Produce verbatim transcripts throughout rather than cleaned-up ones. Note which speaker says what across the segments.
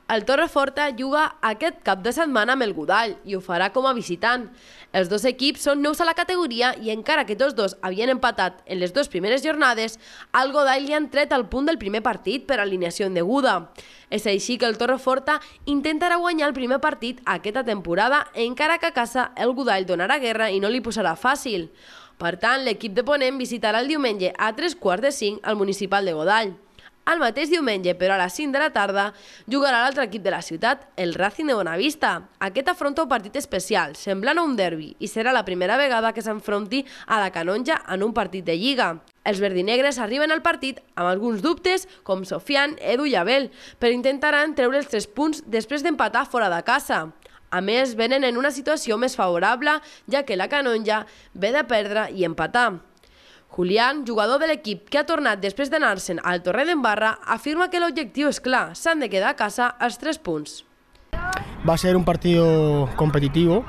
Speaker 1: El Torreforta juga aquest cap de setmana amb el Godall i ho farà com a visitant. Els dos equips són nous a la categoria i encara que tots dos havien empatat en les dues primeres jornades, al Godall li han tret el punt del primer partit per alineació indeguda. És així que el Torreforta intentarà guanyar el primer partit aquesta temporada, encara que a casa el Godall donarà guerra i no li posarà fàcil. Per tant, l'equip de Ponent visitarà el diumenge a tres quarts de cinc al municipal de Godall. El mateix diumenge, però a les cinc de la tarda, jugarà l'altre equip de la ciutat, el Racing de Bonavista. Aquest afronta un partit especial, semblant a un derbi, i serà la primera vegada que s'enfronti a la Canonja en un partit de Lliga. Els verdinegres arriben al partit amb alguns dubtes, com Sofian, Edu i Abel, però intentaran treure els tres punts després d'empatar fora de casa. A més, venen en una situació més favorable, ja que la Canonja ve de perdre i empatar. Julián, jugador de l'equip que ha tornat després d'anar-se'n al Torredembarra, afirma que l'objectiu és clar, s'han de quedar a casa els tres punts.
Speaker 2: Va a ser un partido competitivo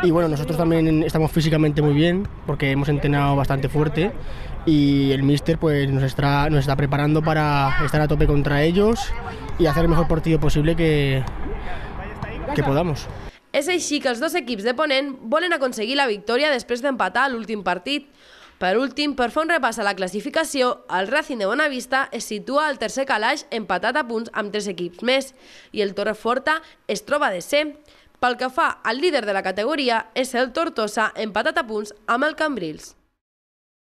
Speaker 2: y bueno, nosotros también estamos físicamente muy bien porque hemos entrenado bastante fuerte y el míster pues nos está, nos está preparando para estar a tope contra ellos y hacer el mejor partido posible que, que podamos.
Speaker 1: És així que els dos equips de Ponent volen aconseguir la victòria després d'empatar l'últim partit. Per últim, per fer un repàs a la classificació, el Racing de Bonavista es situa al tercer calaix empatat a punts amb tres equips més i el Torreforta es troba a desè. Pel que fa al líder de la categoria és el Tortosa empatat a punts amb el Cambrils.